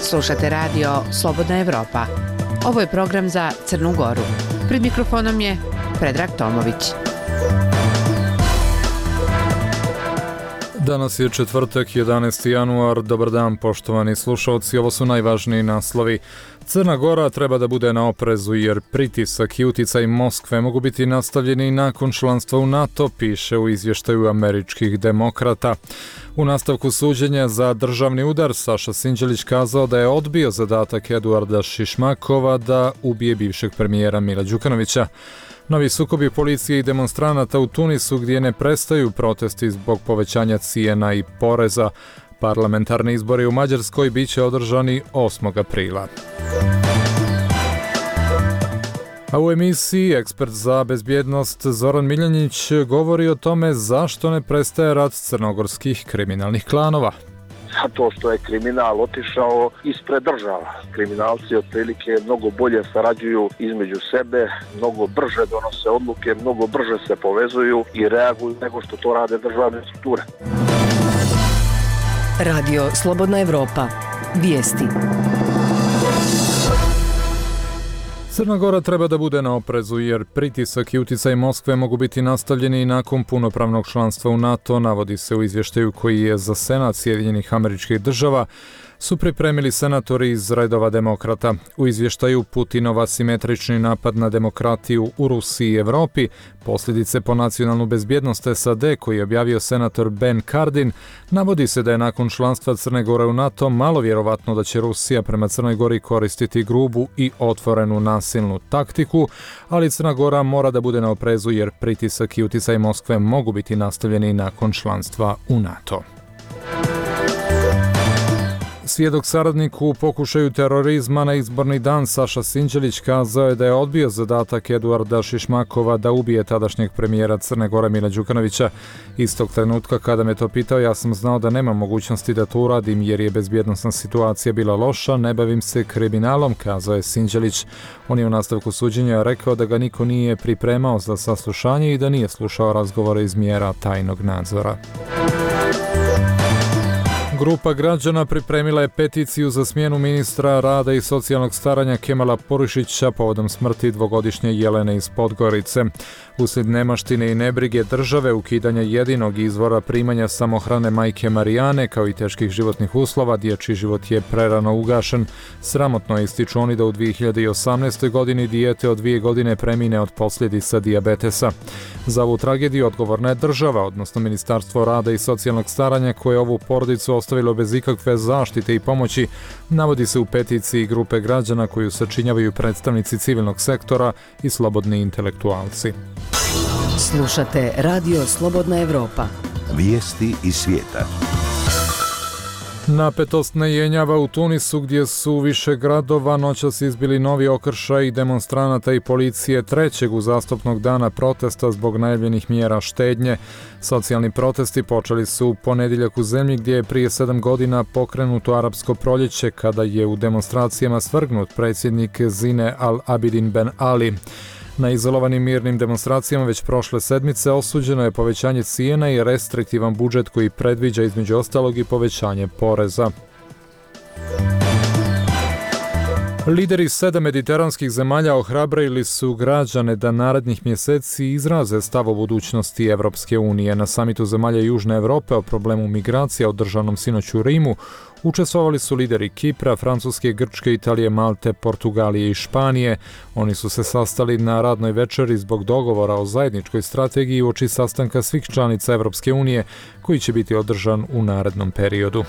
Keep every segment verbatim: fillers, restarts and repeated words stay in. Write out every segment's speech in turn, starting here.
Slušate radio Slobodna Evropa. Ovo je program za Crnu Goru. Pred mikrofonom je Predrag Tomović. Danas je četvrtak, jedanaesti januar. Dobar dan, poštovani slušalci. Ovo su najvažniji naslovi. Crna Gora treba da bude na oprezu jer pritisak i uticaj Moskve mogu biti nastavljeni nakon članstva u NATO, piše u izvještaju američkih demokrata. U nastavku suđenja za državni udar Saša Sinđelić kazao da je odbio zadatak Eduarda Šišmakova da ubije bivšeg premijera Mila Đukanovića. Novi sukobi policije i demonstranata u Tunisu gdje ne prestaju protesti zbog povećanja cijena i poreza. Parlamentarni izbori u Mađarskoj bit će održani osmog aprila. A u emisiji ekspert za bezbjednost Zoran Miljanić govori o tome zašto ne prestaje rat crnogorskih kriminalnih klanova. Zato što je kriminal otišao ispred država. Kriminalci otprilike mnogo bolje sarađuju između sebe, mnogo brže donose odluke, mnogo brže se povezuju i reaguju nego što to rade državne strukture. Radio Slobodna Evropa. Vijesti. Crna Gora treba da bude na oprezu jer pritisak i uticaj Moskve mogu biti nastavljeni nakon punopravnog članstva u NATO, navodi se u izvještaju koji je za Senat Sjedinjenih Američkih Država su pripremili senatori iz redova demokrata. U izvještaju Putinov asimetrični napad na demokratiju u Rusiji i Evropi, posljedice po nacionalnu bezbjednost S A D koji je objavio senator Ben Cardin, navodi se da je nakon članstva Crne Gore u NATO malo vjerovatno da će Rusija prema Crnoj Gori koristiti grubu i otvorenu nasilnu taktiku, ali Crna Gora mora da bude na oprezu jer pritisak i uticaj Moskve mogu biti nastavljeni nakon članstva u NATO. Svjedok saradnik u pokušaju terorizma na izborni dan Saša Sinđelić kazao je da je odbio zadatak Eduarda Šišmakova da ubije tadašnjeg premijera Crne Gore Mila Đukanovića. Istog trenutka kada me to pitao, ja sam znao da nema mogućnosti da to uradim jer je bezbjednosna situacija bila loša, ne bavim se kriminalom, kazao je Sinđelić. On je u nastavku suđenja rekao da ga niko nije pripremao za saslušanje i da nije slušao razgovore iz mjera tajnog nadzora. Grupa građana pripremila je peticiju za smjenu ministra rada i socijalnog staranja Kemala Purišića povodom smrti dvogodišnje Jelene iz Podgorice. Uslijed nemaštine i nebrige države, ukidanja jedinog izvora primanja samohrane majke Marijane, kao i teških životnih uslova, dječji život je prerano ugašen. Sramotno je, ističu oni, da u dvije hiljade osamnaestoj. godini dijete od dvije godine premine od posljedica dijabetesa. Za ovu tragediju odgovorna je država, odnosno Ministarstvo rada i socijalnog staranja, koje ovu porodicu ostavilo bez ikakve zaštite i pomoći, navodi se u peticiji grupe građana koju sačinjavaju predstavnici civilnog sektora i slobodni intelektualci. Slušate Radio Slobodna Evropa. Vijesti iz svijeta. Napetost ne jenjava u Tunisu gdje su više gradova noćas izbili novi okršaj demonstranata i policije trećeg uzastopnog dana protesta zbog najavljenih mjera štednje. Socijalni protesti počeli su u ponedjeljak u zemlji gdje je prije sedam godina pokrenuto arapsko proljeće kada je u demonstracijama svrgnut predsjednik Zine al-Abidin Ben Ali. Na izolovanim mirnim demonstracijama već prošle sedmice osuđeno je povećanje cijena i restriktivan budžet koji predviđa između ostalog i povećanje poreza. Lideri sedam mediteranskih zemalja ohrabrili su građane da narednih mjeseci izraze stav o budućnosti Evropske unije. Na samitu zemalja Južne Europe o problemu migracija održanom sinoć u Rimu učestvovali su lideri Kipra, Francuske, Grčke, Italije, Malte, Portugalije i Španije. Oni su se sastali na radnoj večeri zbog dogovora o zajedničkoj strategiji uoči sastanka svih članica Evropske unije koji će biti održan u narednom periodu.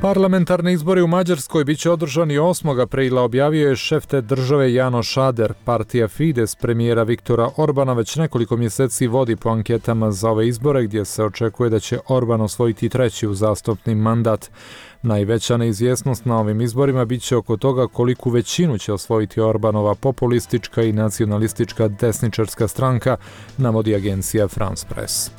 Parlamentarni izbori u Mađarskoj bit će održani osmog aprila, objavio je šef te države Janoš Ader. Partija Fides premijera Viktora Orbana već nekoliko mjeseci vodi po anketama za ove izbore gdje se očekuje da će Orban osvojiti treći uzastopni mandat. Najveća neizvjesnost na ovim izborima bit će oko toga koliku većinu će osvojiti Orbanova populistička i nacionalistička desničarska stranka, navodi agencija France Press.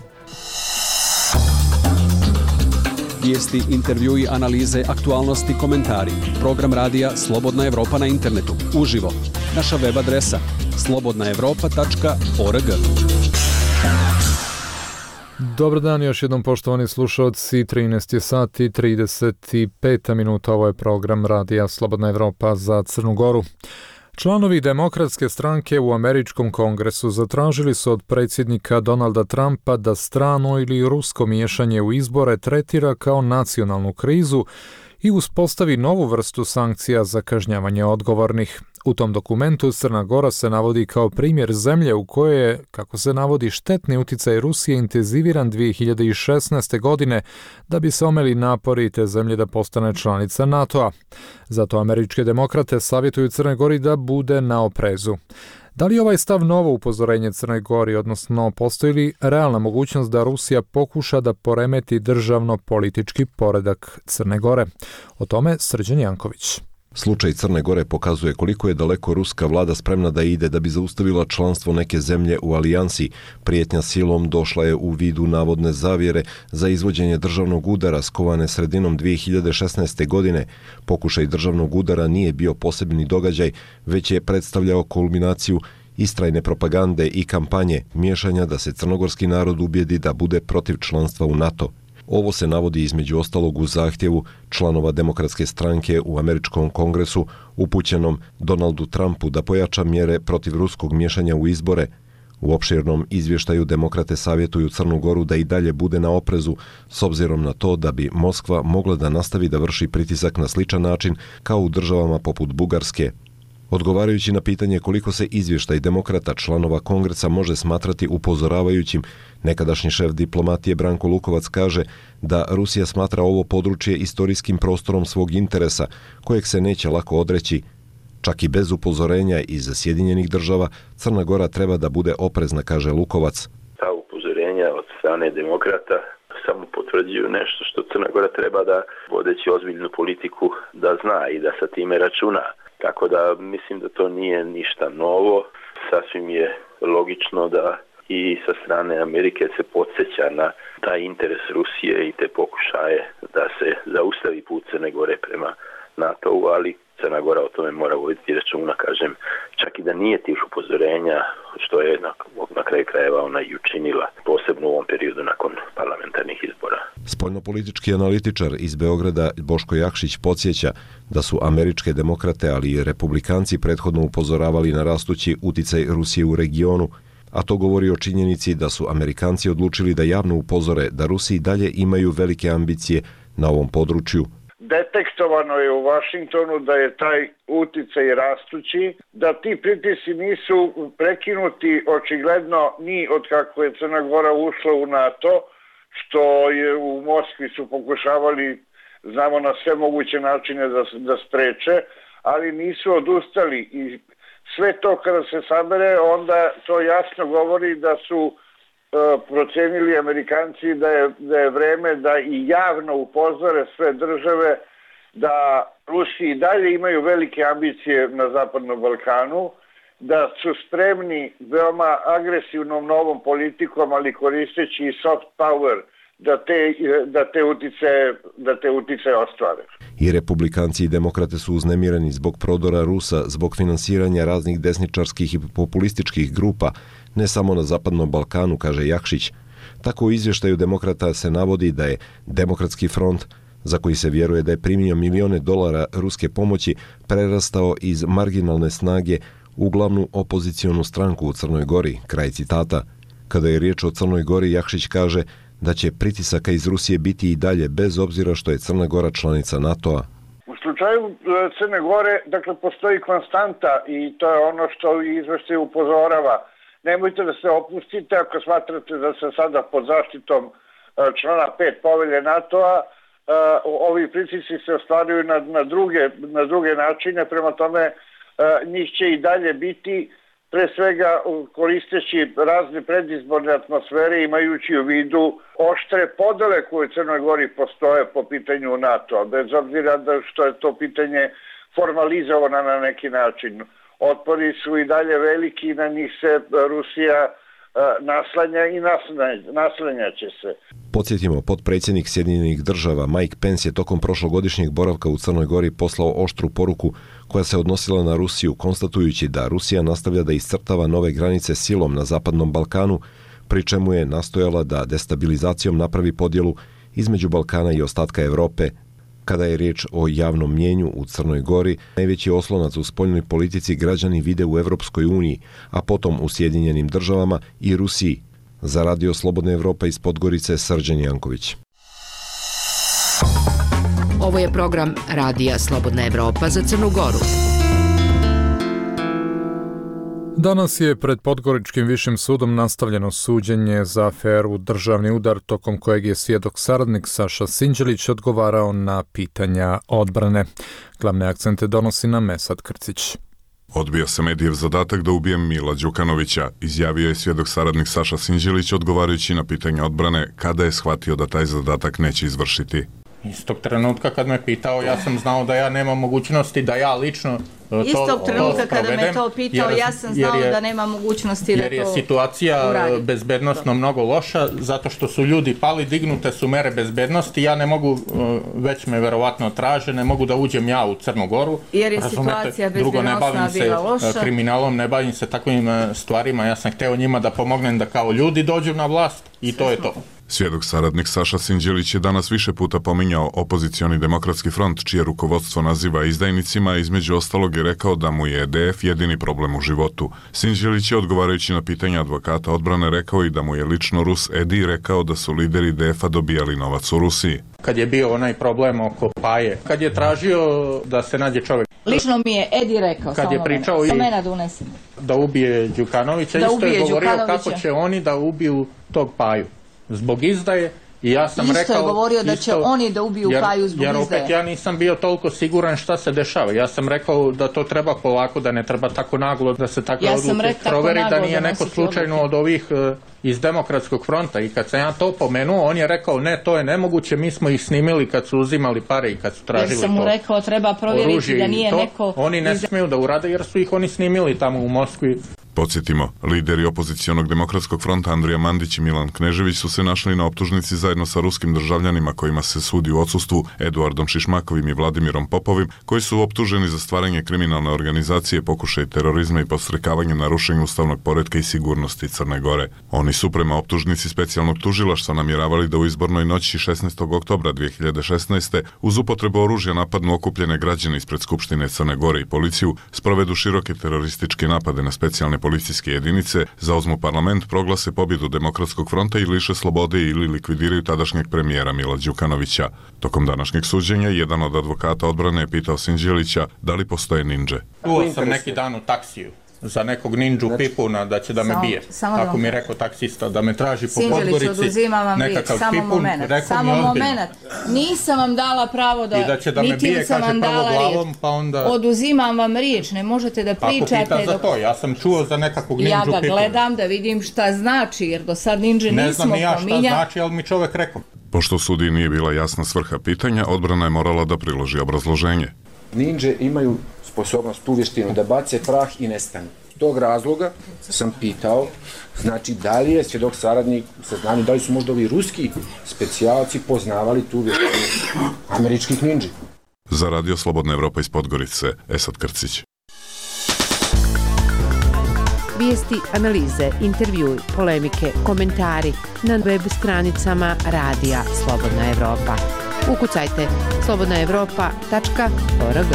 Vijesti, intervjui, analize, aktualnosti, komentari. Program radija Slobodna Evropa na internetu. Uživo. Naša web adresa slobodna evropa tačka org. Dobar dan još jednom poštovani slušalci, trinaest je sati trideset pet minuta, ovo je program Radija Slobodna Evropa za Crnu Goru. Članovi Demokratske stranke u Američkom kongresu zatražili su od predsjednika Donalda Trumpa da strano ili rusko miješanje u izbore tretira kao nacionalnu krizu i uspostavi novu vrstu sankcija za kažnjavanje odgovornih. U tom dokumentu Crna Gora se navodi kao primjer zemlje u kojoj je, kako se navodi, štetni uticaj Rusije intenziviran dvije hiljade šesnaeste. godine da bi se omeli napori te zemlje da postane članica NATO-a. Zato američke demokrate savjetuju Crnoj Gori da bude na oprezu. Da li je ovaj stav novo upozorenje Crnoj Gori, odnosno postoji li realna mogućnost da Rusija pokuša da poremeti državno-politički poredak Crne Gore? O tome Srđan Janković. Slučaj Crne Gore pokazuje koliko je daleko ruska vlada spremna da ide da bi zaustavila članstvo neke zemlje u alijansi. Prijetnja silom došla je u vidu navodne zavjere za izvođenje državnog udara skovane sredinom dvije hiljade šesnaeste. godine. Pokušaj državnog udara nije bio posebni događaj, već je predstavljao kulminaciju istrajne propagande i kampanje miješanja da se crnogorski narod ubijedi da bude protiv članstva u NATO. Ovo se navodi između ostalog u zahtjevu članova Demokratske stranke u Američkom kongresu upućenom Donaldu Trumpu da pojača mjere protiv ruskog miješanja u izbore. U opširnom izvještaju demokrate savjetuju Crnu Goru da i dalje bude na oprezu s obzirom na to da bi Moskva mogla da nastavi da vrši pritisak na sličan način kao u državama poput Bugarske. Odgovarajući na pitanje koliko se izvještaj demokrata članova kongresa može smatrati upozoravajućim, nekadašnji šef diplomatije Branko Lukovac kaže da Rusija smatra ovo područje istorijskim prostorom svog interesa, kojeg se neće lako odreći. Čak i bez upozorenja iz Sjedinjenih država, Crna Gora treba da bude oprezna, kaže Lukovac. Ta upozorenja od strane demokrata samo potvrđuju nešto što Crna Gora treba da, vodeći ozbiljnu politiku, da zna i da sa time računa. Tako da mislim da to nije ništa novo. Sasvim je logično da i sa strane Amerike se podsjeća na taj interes Rusije i te pokušaje da se zaustavi put Crne Gore prema NATO-u, ali Crna Gora o tome mora voditi računa, kažem, čak i da nije tih upozorenja, što je na, na kraju krajeva ona i učinila, posebno u ovom periodu nakon parlamentarnih izbora. Spoljnopolitički analitičar iz Beograda Boško Jakšić podsjeća da su američke demokrate, ali i republikanci prethodno upozoravali na rastući uticaj Rusije u regionu, a to govori o činjenici da su Amerikanci odlučili da javno upozore da Rusi dalje imaju velike ambicije na ovom području. Detektovano je u Vašingtonu da je taj uticaj rastući, da ti pritisci nisu prekinuti očigledno ni od kako je Crna Gora ušla u NATO, što je u Moskvi su pokušavali, znamo, na sve moguće načine da, da spreče, ali nisu odustali i sve to kada se sabere, onda to jasno govori da su procenili Amerikanci da je, da je vreme da i javno upozore sve države da Rusi i dalje imaju velike ambicije na Zapadnom Balkanu, da su spremni veoma agresivnom novom politikom, ali koristeći i soft power, da te, da te uticaje, da te uticaje ostvare. I republikanci i demokrate su uznemireni zbog prodora Rusa, zbog finansiranja raznih desničarskih i populističkih grupa, ne samo na Zapadnom Balkanu, kaže Jakšić. Tako u izvještaju demokrata se navodi da je Demokratski front, za koji se vjeruje da je primio milione dolara ruske pomoći, prerastao iz marginalne snage u glavnu opozicionu stranku u Crnoj Gori, kraj citata. Kada je riječ o Crnoj Gori, Jakšić kaže da će pritisaka iz Rusije biti i dalje, bez obzira što je Crna Gora članica NATO-a. U slučaju Crne Gore, dakle, postoji konstanta i to je ono što izveštaj upozorava. Nemojte da se opustite ako smatrate da se sada pod zaštitom člana pet povelje NATO-a ovi pritisci se ostvaruju na, na, druge, na druge načine, prema tome njih će i dalje biti, pre svega koristeći razne predizborne atmosfere, imajući u vidu oštre podele koje u Crnoj Gori postoje po pitanju NATO-a, bez obzira da što je to pitanje formalizovano na neki način. Otpori su i dalje veliki i na njih se Rusija naslanja i naslanjaće se. Podsjetimo, potpredsjednik Sjedinjenih država Mike Pence je tokom prošlogodišnjeg boravka u Crnoj Gori poslao oštru poruku koja se odnosila na Rusiju, konstatujući da Rusija nastavlja da iscrtava nove granice silom na Zapadnom Balkanu, pri čemu je nastojala da destabilizacijom napravi podjelu između Balkana i ostatka Europe. Kada je riječ o javnom mnijenju u Crnoj Gori, najveći oslonac u spoljnoj politici građani vide u Europskoj uniji, a potom u Sjedinjenim državama i Rusiji. Za Radio Slobodna Evropa iz Podgorice, Srđan Janković. Ovo je program Radija Slobodna Evropa za Crnu Goru. Danas je pred Podgoričkim višim sudom nastavljeno suđenje za aferu Državni udar, tokom kojeg je svjedok saradnik Saša Sinđelić odgovarao na pitanja odbrane. Glavne akcente donosi nam Mesad Krcić. Odbija se medijev zadatak da ubije Mila Đukanovića, izjavio je svjedok saradnik Saša Sinđelić odgovarajući na pitanje odbrane kada je shvatio da taj zadatak neće izvršiti. Istog trenutka kad me pitao, ja sam znao da ja nemam mogućnosti da ja lično to Istog trenutka to kada me to pitao, jer, ja sam znao je, da nema mogućnosti da to Jer je situacija uradi. bezbednostno mnogo loša, zato što su ljudi pali, dignute su mere bezbednosti, ja ne mogu, već me verovatno traže, ne mogu da uđem ja u Crnu Goru. Jer je Razumete? situacija Drugo, ne bezbednostna bavim bila loša. se kriminalom, ne bavim se takvim stvarima, ja sam hteo njima da pomognem da kao ljudi dođu na vlast i to je to. Svjedok saradnik Saša Sinđelić je danas više puta pominjao opozicioni demokratski front, čije rukovodstvo naziva izdajnicima, između ostalog je rekao da mu je E D F jedini problem u životu. Sinđelić je odgovarajući na pitanja advokata odbrane rekao i da mu je lično Rus Edi rekao da su lideri D F-a dobijali novac u Rusiji. Kad je bio onaj problem oko Paje, kad je tražio da se nađe čovjek. Lično mi je Edi rekao, kad je pričao i mene da unesem. Da ubije Đukanovića, da isto ubije je govorio Đukanovića. kako će oni da ubiju tog Paju. Zbog izdaje. I ja sam isto rekao, je govorio da će isto, oni da ubiju jer, Paju zbog jer opet izdaje. ja nisam bio toliko siguran šta se dešava. Ja sam rekao da to treba polako, da ne treba tako naglo, da se takve ja odluke proveri, da nije da neko slučajno odluke. od ovih uh, iz Demokratskog fronta. I kad sam ja to pomenuo, on je rekao ne, to je nemoguće, mi smo ih snimili kad su uzimali pare i kad su tražili to. Jer sam mu rekao treba provjeriti da nije to. neko... Oni ne iz... smiju da urade jer su ih oni snimili tamo u Moskvi. Podsjetimo, lideri opozicionog demokratskog fronta Andrija Mandić i Milan Knežević su se našli na optužnici zajedno sa ruskim državljanima kojima se sudi u odsustvu, Eduardom Šišmakovim i Vladimirom Popovim, koji su optuženi za stvaranje kriminalne organizacije, pokušaj terorizma i podstrekavanje narušenja ustavnog poretka i sigurnosti Crne Gore. Oni su prema optužnici specijalnog tužilaštva namjeravali da u izbornoj noći šesnaestog oktobra dvije hiljade šesnaeste uz upotrebu oružja napadnu okupljene građane ispred Skupštine Crne Gore i policiju, sprovedu široke terorističke napade na specijalne policijske jedinice, zauzmu parlament, proglase pobjedu Demokratskog fronta i liše slobode ili likvidiraju tadašnjeg premijera Mila Đukanovića. Tokom današnjeg suđenja, jedan od advokata odbrane je pitao Sinđelića da li postoje ninđe. Čuo sam neki dan u taksiju za nekog ninđu pipuna da će da me bije. Tako mi je rekao taksista da me traži po Podgorici oduzimam vam riječ, samo moment, samo moment. Nisam vam dala pravo da, I da će da me bije, kaže prvo glavom, pa onda... Oduzimam vam riječ, ne možete da pričate... Ako pita za to, ja sam čuo za nekakvog ninđu pipuna. Ja ga gledam da vidim šta znači, jer do sad ninđe nismo pominjali. Ne znam ni ja šta znači, ali mi čovjek rekao. Pošto sudiji nije bila jasna svrha pitanja, odbrana je morala da priloži obrazloženje. Ninđe imaju sposobnost, tu vještinu da bace prah i nestanu. Tog razloga sam pitao, znači da li je svjedok saradnik u saznanju, da li su možda ovi ruski specijalci poznavali tu vještinu američkih ninđi. Za Radio Slobodna Evropa iz Podgorice, Esad Krcić. Vijesti, analize, intervjui, polemike, komentari na web stranicama Radija Slobodna Evropa. Ukucajte slobodna evropa tačka org.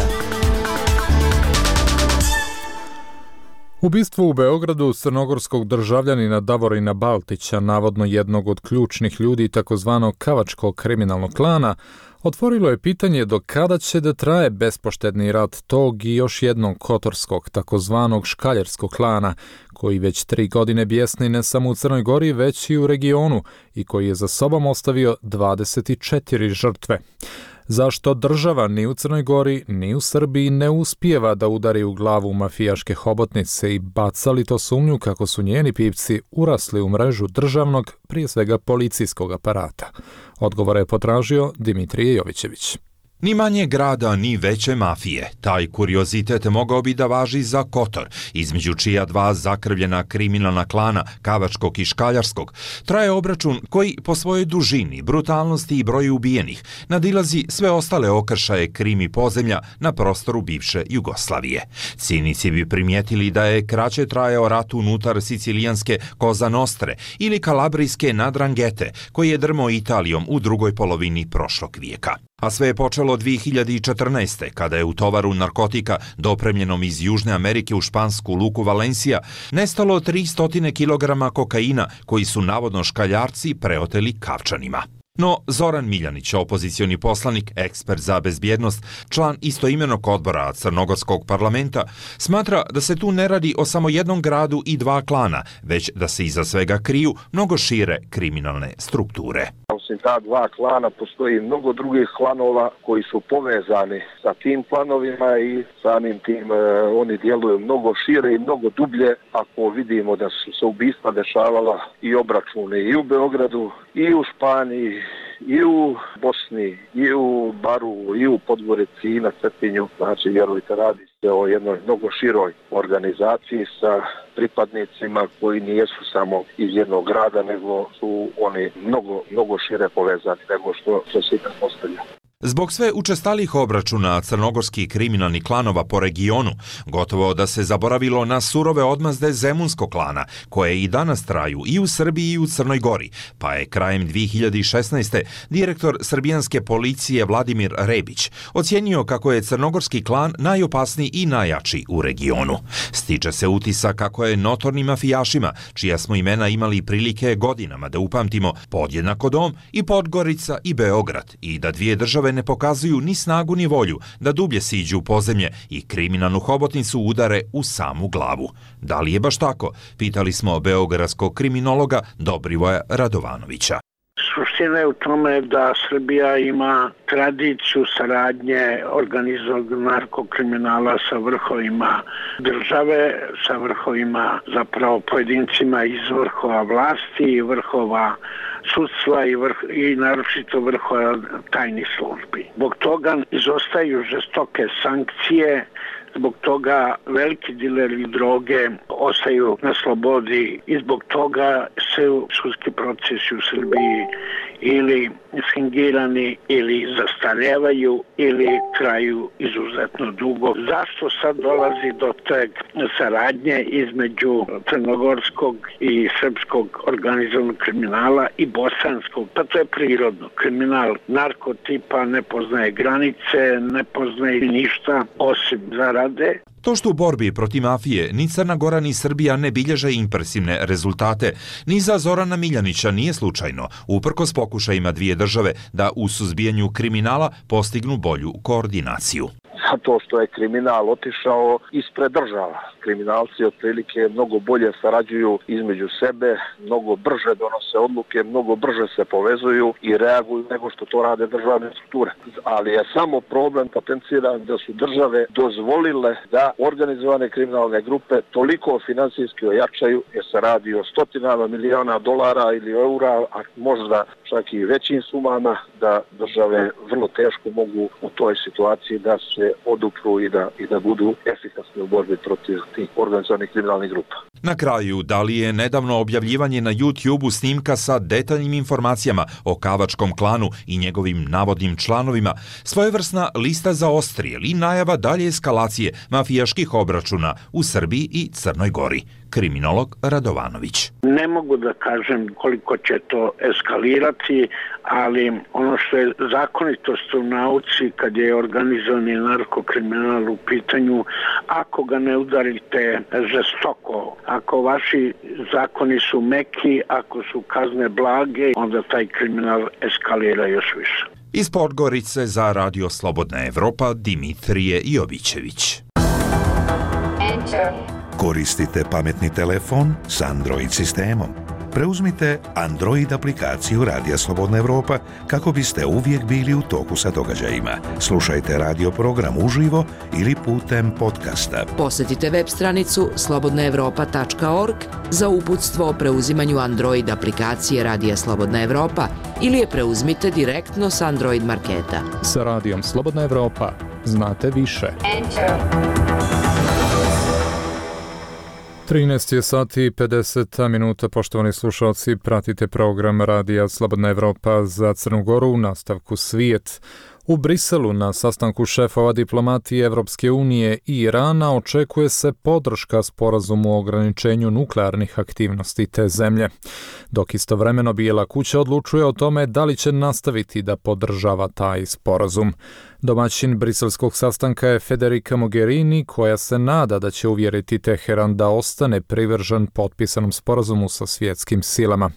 Ubistvo u Beogradu crnogorskog državljanina Davorina Baltića, navodno jednog od ključnih ljudi takozvanog kavačkog kriminalnog klana, otvorilo je pitanje do kada će da traje bespoštedni rat tog i još jednog kotorskog takozvanog škaljerskog klana, koji već tri godine bjesni ne samo u Crnoj Gori, već i u regionu i koji je za sobom ostavio dvadeset četiri žrtve. Zašto država ni u Crnoj Gori ni u Srbiji ne uspijeva da udari u glavu mafijaške hobotnice i baca li to sumnju kako su njeni pipci urasli u mrežu državnog, prije svega policijskog aparata? Odgovore je potražio Dimitrije Jovićević. Ni manje grada, ni veće mafije. Taj kuriozitet mogao bi da važi za Kotor, između čija dva zakrvljena kriminalna klana, Kavačkog i Škaljarskog, traje obračun koji po svojoj dužini, brutalnosti i broju ubijenih nadilazi sve ostale okršaje krimi podzemlja na prostoru bivše Jugoslavije. Cinici bi primijetili da je kraće trajao rat unutar sicilijanske Koza Nostre ili kalabrijske Nadrangete, koji je drmao Italijom u drugoj polovini prošlog vijeka. A sve je počelo dvije hiljade četrnaeste. kada je u tovaru narkotika dopremljenom iz Južne Amerike u špansku luku Valencia nestalo tristo kilograma kokaina koji su navodno škaljarci preoteli Kavčanima. No, Zoran Miljanić, opozicioni poslanik, ekspert za bezbjednost, član istoimenog odbora Crnogorskog parlamenta, smatra da se tu ne radi o samo jednom gradu i dva klana, već da se iza svega kriju mnogo šire kriminalne strukture. Osim ta dva klana postoji mnogo drugih klanova koji su povezani sa tim klanovima i samim tim e, oni djeluju mnogo šire i mnogo dublje. Ako vidimo da su se ubistva dešavala i obračune i u Beogradu i u Španiji i u Bosni i u Baru i u Podgorici i na Cetinju, znači vjerujte, radi se o jednoj mnogo široj organizaciji sa pripadnicima koji nijesu samo iz jednog grada, nego su oni mnogo, mnogo šire povezani nego što, što se da postavlja. Zbog sve učestalih obračuna crnogorskih kriminalnih klanova po regionu, gotovo da se zaboravilo na surove odmazde Zemunskog klana, koje i danas traju i u Srbiji i u Crnoj Gori, pa je krajem dvije hiljade šesnaeste. direktor srbijanske policije Vladimir Rebić ocijenio kako je crnogorski klan najopasniji i najjači u regionu. Stiče se utisak kako je notornim mafijašima, čija smo imena imali prilike godinama da upamtimo, podjednako Dom i Podgorica i Beograd, i da dvije države ne pokazuju ni snagu ni volju da dublje siđu u podzemlje i kriminalnu hobotnicu udare u samu glavu. Da li je baš tako? Pitali smo beogradskog kriminologa Dobrivoja Radovanovića. Suština je u tome da Srbija ima tradiciju saradnje organizovanog narkokriminala sa vrhovima države, sa vrhovima zapravo pojedincima iz vrhova vlasti i vrhova sudstva i, vrh, i naročito vrhova tajnih službi. Zbog toga izostaju žestoke sankcije, zbog toga veliki dileri droge ostaju na slobodi i zbog toga se sudski procesi u Srbiji ili fingirani ili zastarevaju ili traju izuzetno dugo. Zašto sad dolazi do te saradnje između crnogorskog i srpskog organizovanog kriminala i bosanskog? Pa to je prirodno. Kriminal narkotipa ne poznaje granice, ne poznaje ništa osim zarade. To što u borbi protiv mafije ni Crna Gora ni Srbija ne bilježe impresivne rezultate, ni za Zorana Miljanića nije slučajno, uprkos pokušajima dvije države da u suzbijanju kriminala postignu bolju koordinaciju. Zato što je kriminal otišao ispred država. Kriminalci otprilike mnogo bolje sarađuju između sebe, mnogo brže donose odluke, mnogo brže se povezuju i reaguju nego što to rade državne strukture. Ali je samo problem potenciran da su države dozvolile da organizovane kriminalne grupe toliko finansijski ojačaju, jer se radi o stotinama miliona dolara ili eura, a možda čak i većim sumama, da države vrlo teško mogu u toj situaciji da se odupru i da, i da budu efikasni u borbi protiv tih organizovanih kriminalnih grupa. Na kraju, da li je nedavno objavljivanje na YouTube-u snimka sa detaljnim informacijama o Kavačkom klanu i njegovim navodnim članovima svojevrsna lista za odstrijel i najava dalje eskalacije mafijaških obračuna u Srbiji i Crnoj Gori? Kriminolog Radovanović. Ne mogu da kažem koliko će to eskalirati, ali ono što je zakonitost u nauci kad je organizovani narkokriminal u pitanju, ako ga ne udarite žestoko, ako vaši zakoni su meki, ako su kazne blage, onda taj kriminal eskalira još više. Iz Podgorice za Radio Slobodna Evropa Dimitrije Jovićević. Koristite pametni telefon s Android sistemom. Preuzmite Android aplikaciju Radija Slobodna Evropa kako biste uvijek bili u toku sa događajima. Slušajte radio program uživo ili putem podcasta. Posjetite web stranicu slobodna evropa tačka org za uputstvo o preuzimanju Android aplikacije Radija Slobodna Evropa ili je preuzmite direktno s Android marketa. Sa Radijom Slobodna Evropa znate više. Enter. trinaest je sati i pedeset minuta, poštovani slušalci, pratite program Radija Slobodna Evropa za Crnu Goru u nastavku Svijet. U Briselu na sastanku šefova diplomatije Evropske unije i Irana očekuje se podrška sporazumu o ograničenju nuklearnih aktivnosti te zemlje, dok istovremeno Bijela kuća odlučuje o tome da li će nastaviti da podržava taj sporazum. Domaćin briselskog sastanka je Federica Mogherini, koja se nada da će uvjeriti Teheran da ostane privržen potpisanom sporazumu sa svjetskim silama.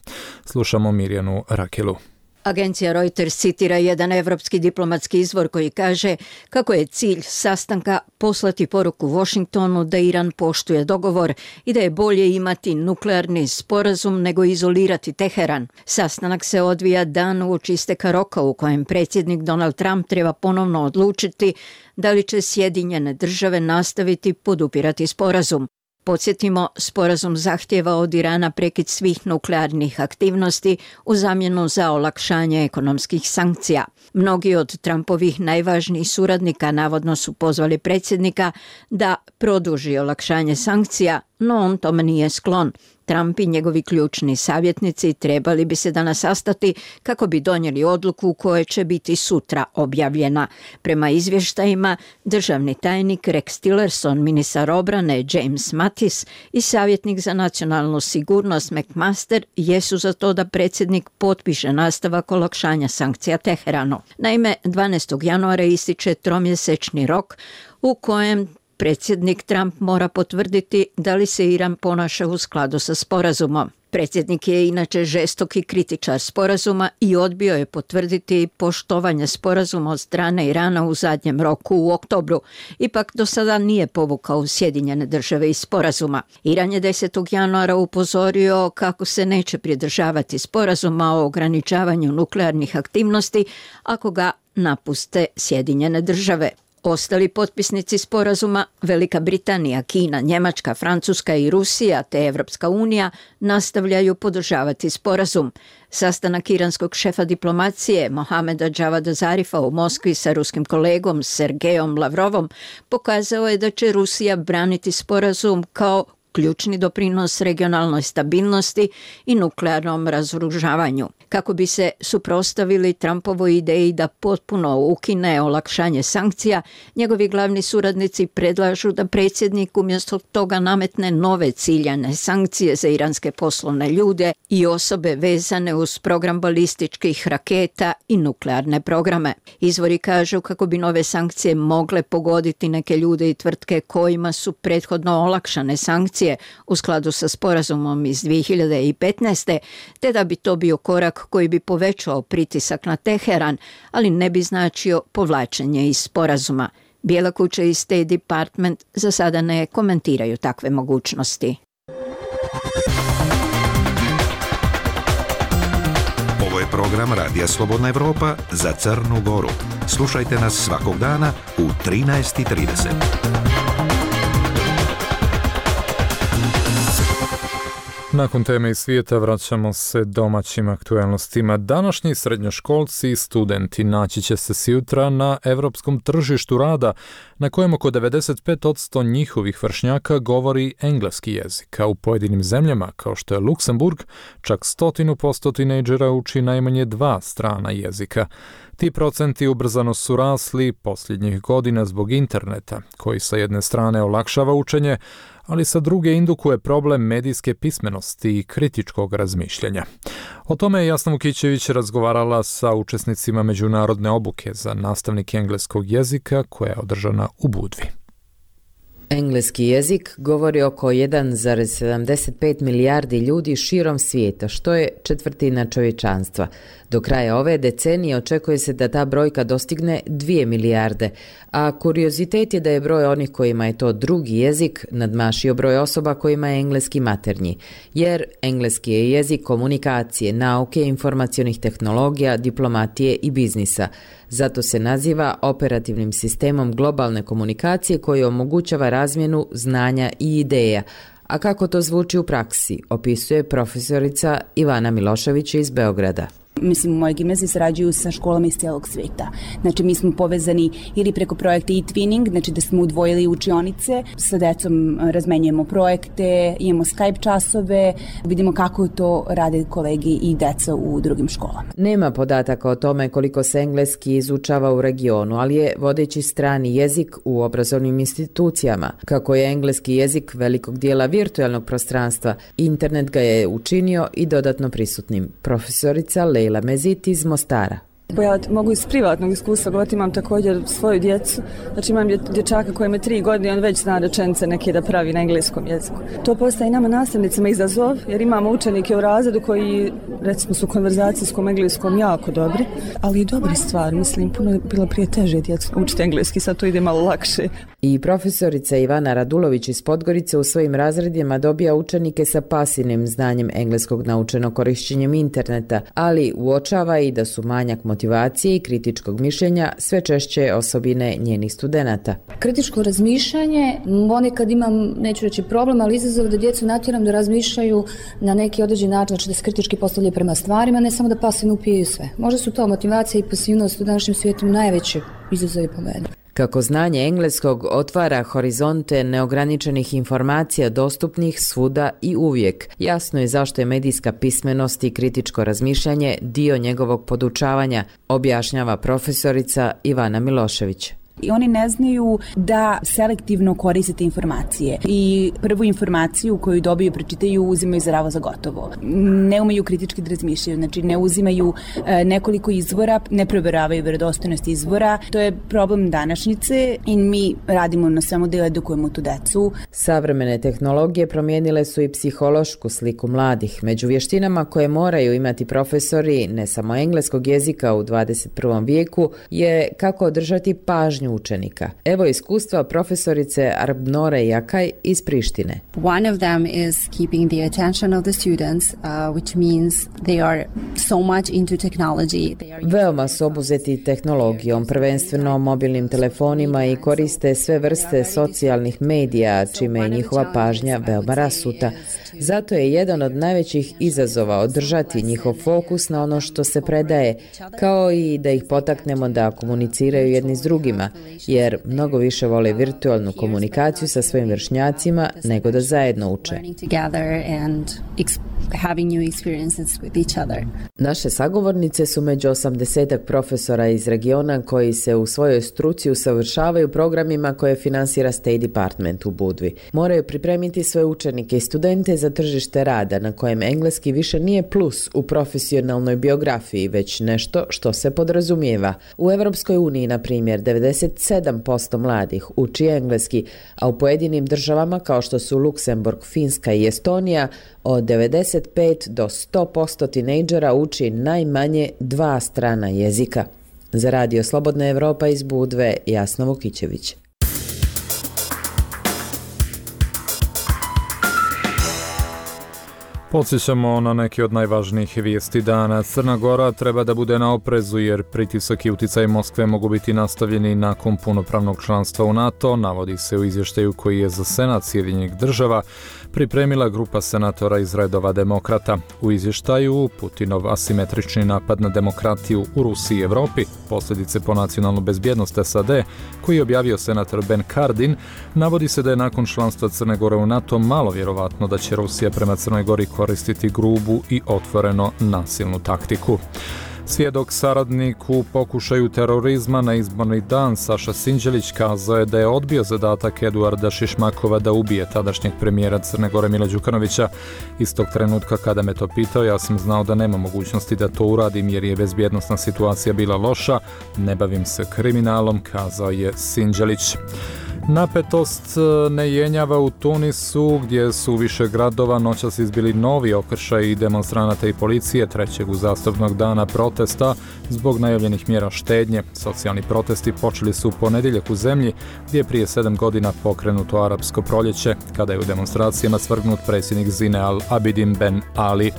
Slušamo Mirjanu Rakelu. Agencija Reuters citira jedan evropski diplomatski izvor koji kaže kako je cilj sastanka poslati poruku Washingtonu da Iran poštuje dogovor i da je bolje imati nuklearni sporazum nego izolirati Teheran. Sastanak se odvija dan uoči isteka roka u kojem predsjednik Donald Trump treba ponovno odlučiti da li će Sjedinjene države nastaviti podupirati sporazum. Podsjetimo, sporazum zahtjeva od Irana prekid svih nuklearnih aktivnosti u zamjenu za olakšanje ekonomskih sankcija. Mnogi od Trumpovih najvažnijih suradnika navodno su pozvali predsjednika da produži olakšanje sankcija, no on tome nije sklon. Trump i njegovi ključni savjetnici trebali bi se danas sastati kako bi donijeli odluku koja će biti sutra objavljena. Prema izvještajima, državni tajnik Rex Tillerson, ministar obrane James Mattis i savjetnik za nacionalnu sigurnost McMaster jesu za to da predsjednik potpiše nastavak olakšanja sankcija Teheranu. Naime, dvanaestog januara ističe tromjesečni rok u kojem predsjednik Trump mora potvrditi da li se Iran ponaša u skladu sa sporazumom. Predsjednik je inače žestoki kritičar sporazuma i odbio je potvrditi poštovanje sporazuma od strane Irana u zadnjem roku u oktobru. Ipak do sada nije povukao Sjedinjene države iz sporazuma. Iran je desetog januara upozorio kako se neće pridržavati sporazuma o ograničavanju nuklearnih aktivnosti ako ga napuste Sjedinjene države. Ostali potpisnici sporazuma, Velika Britanija, Kina, Njemačka, Francuska i Rusija te Evropska unija nastavljaju podržavati sporazum. Sastanak iranskog šefa diplomacije Mohameda Javad Zarifa u Moskvi sa ruskim kolegom Sergejom Lavrovom pokazao je da će Rusija braniti sporazum kao ključni doprinos regionalnoj stabilnosti i nuklearnom razoružavanju. Kako bi se suprotstavili Trumpovoj ideji da potpuno ukine olakšanje sankcija, njegovi glavni suradnici predlažu da predsjednik umjesto toga nametne nove ciljane sankcije za iranske poslovne ljude i osobe vezane uz program balističkih raketa i nuklearne programe. Izvori kažu kako bi nove sankcije mogle pogoditi neke ljude i tvrtke kojima su prethodno olakšane sankcije u skladu sa sporazumom iz dvije hiljade petnaeste, te da bi to bio korak koji bi povećao pritisak na Teheran, ali ne bi značio povlačenje iz sporazuma. Bijela kuća i State Department za sada ne komentiraju takve mogućnosti. Ovo je program Radija Slobodna Evropa za Crnu Goru. Slušajte nas svakog dana u trinaest i trideset. Nakon teme iz svijeta vraćamo se domaćim aktualnostima. Današnji srednjoškolci i studenti naći će se sutra na europskom tržištu rada, na kojem oko devedeset pet posto njihovih vršnjaka govori engleski jezik, a u pojedinim zemljama, kao što je Luksemburg, čak stotinu posto tinejdžera uči najmanje dva strana jezika. Ti procenti ubrzano su rasli posljednjih godina zbog interneta, koji sa jedne strane olakšava učenje, ali sa druge indukuje problem medijske pismenosti i kritičkog razmišljanja. O tome je Jasna Vukićević razgovarala sa učesnicima međunarodne obuke za nastavnike engleskog jezika koja je održana u Budvi. Engleski jezik govori oko jedan zarez sedamdeset pet milijardi ljudi širom svijeta, što je četvrtina čovječanstva. Do kraja ove decenije očekuje se da ta brojka dostigne dvije milijarde, a kuriozitet je da je broj onih kojima je to drugi jezik nadmašio broj osoba kojima je engleski maternji, jer engleski je jezik komunikacije, nauke, informacionih tehnologija, diplomatije i biznisa. Zato se naziva operativnim sistemom globalne komunikacije koji omogućava razmjenu znanja i ideja. A kako to zvuči u praksi, opisuje profesorica Ivana Milošević iz Beograda. Mislim, u mojoj gimnaziji sarađuju sa školama iz cijelog svijeta. Znači, mi smo povezani ili preko projekta e-twinning, znači da smo udvojili učionice, sa decom razmenjujemo projekte, imamo Skype časove, vidimo kako to rade kolegi i deca u drugim školama. Nema podataka o tome koliko se engleski izučava u regionu, ali je vodeći strani jezik u obrazovnim institucijama. Kako je engleski jezik velikog dijela virtualnog prostranstva, internet ga je učinio i dodatno prisutnim. Profesorica Leila Mezit iz Mostara. Ja mogu iz privatnog iskustva govoriti, imam također svoju djecu, znači imam dječaka koji ima tri godine i on već zna rečenice neke da pravi na engleskom jeziku. To postaje nama nastavnicima izazov, jer imamo učenike u razredu koji, recimo, su u konverzacijskom engleskom jako dobri, ali i dobri stvar, mislim, puno je bilo prije teže djecu učiti engleski, sad to ide malo lakše. I profesorica Ivana Radulović iz Podgorice u svojim razredima dobija učenike sa pasivnim znanjem engleskog naučeno korišćenjem interneta, ali uočava i da su manjak motivacije i kritičkog mišljenja sve češće osobine njenih studenata. Kritičko razmišljanje, ponekad imam, neću reći problem, ali izazov da djecu natjeram da razmišljaju na neki određen način, znači da se kritički postavljaju prema stvarima, ne samo da pasivno upijaju sve. Možda su to motivacija i pasivnost u današnjem svijetu najveći izazovi po meni. Kako znanje engleskog otvara horizonte neograničenih informacija dostupnih svuda i uvijek, jasno je zašto je medijska pismenost i kritičko razmišljanje dio njegovog podučavanja, objašnjava profesorica Ivana Milošević. I oni ne znaju da selektivno koriste informacije i prvu informaciju koju dobiju, pročitaju, uzimaju zdravo za gotovo. Ne umeju kritički da razmišljaju, znači ne uzimaju e, nekoliko izvora, ne provjeravaju vjerodostojnost izvora. To je problem današnjice i mi radimo na svemu da edukujemo tu decu. Savremene tehnologije promijenile su i psihološku sliku mladih. Među vještinama koje moraju imati profesori, ne samo engleskog jezika u dvadeset prvom vijeku, je kako održati pažnju učenika. Evo iskustva profesorice Arbnore Jakaj iz Prištine. One of them is keeping the attention of the students, uh, which means they are so much into technology. They are Veoma su obuzeti tehnologijom, prvenstveno mobilnim telefonima i koriste sve vrste socijalnih medija, čime je njihova pažnja veoma rasuta. Zato je jedan od najvećih izazova održati njihov fokus na ono što se predaje, kao i da ih potaknemo da komuniciraju jedni s drugima, jer mnogo više vole virtualnu komunikaciju sa svojim vršnjacima nego da zajedno uče. Naše sagovornice su među osamdesetak profesora iz regiona koji se u svojoj struci usavršavaju programima koje finansira State Department u Budvi. Moraju pripremiti svoje učenike i studente za tržište rada na kojem engleski više nije plus u profesionalnoj biografiji, već nešto što se podrazumijeva. U Europskoj uniji, na primjer, devedeset sedam posto mladih uči engleski, a u pojedinim državama kao što su Luksemburg, Finska i Estonija, od devedeset pet do sto posto tinejdžera uči najmanje dva strana jezika. Za Radio Slobodna Evropa iz Budve, Jasna Vukićević. Podsjećamo na neke od najvažnijih vijesti dana. Crna Gora treba da bude na oprezu jer pritisak i uticaj Moskve mogu biti nastavljeni nakon punopravnog članstva u NATO, navodi se u izvještaju koji je za Senat Sjedinjenih država pripremila grupa senatora iz redova demokrata. U izvještaju Putinov asimetrični napad na demokratiju u Rusiji i Evropi, posljedice po nacionalnu bezbjednost S A D, koji je objavio senator Ben Cardin, navodi se da je nakon članstva Crne Gore u NATO malo vjerovatno da će Rusija prema Crnoj Gori koristiti grubu i otvoreno nasilnu taktiku. Svjedok saradnik u pokušaju terorizma na izborni dan Saša Sinđelić kazao je da je odbio zadatak Eduarda Šišmakova da ubije tadašnjeg premijera Crne Gore Mila Đukanovića. Istog trenutka kada me to pitao, ja sam znao da nema mogućnosti da to uradim jer je bezbjednosna situacija bila loša. Ne bavim se kriminalom, kazao je Sinđelić. Napetost ne jenjava u Tunisu, gdje su više gradova noćas izbili novi okršaj i demonstranata i policije trećeg uzastopnog dana protesta zbog najavljenih mjera štednje. Socijalni protesti počeli su u ponedjeljak u zemlji, gdje je prije sedam godina pokrenuto arapsko proljeće, kada je u demonstracijama svrgnut predsjednik Zine al-Abidin Ben Ali.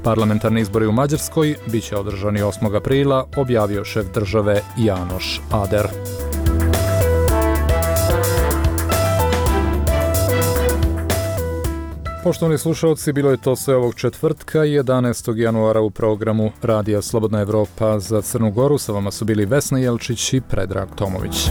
Parlamentarni izbori u Mađarskoj bit će održani osmog aprila, objavio šef države Janoš Ader. Poštovani slušalci, bilo je to sve ovog četvrtka, jedanaestog januara u programu Radija Slobodna Evropa za Crnu Goru. Sa vama su bili Vesna Jelčić i Predrag Tomović.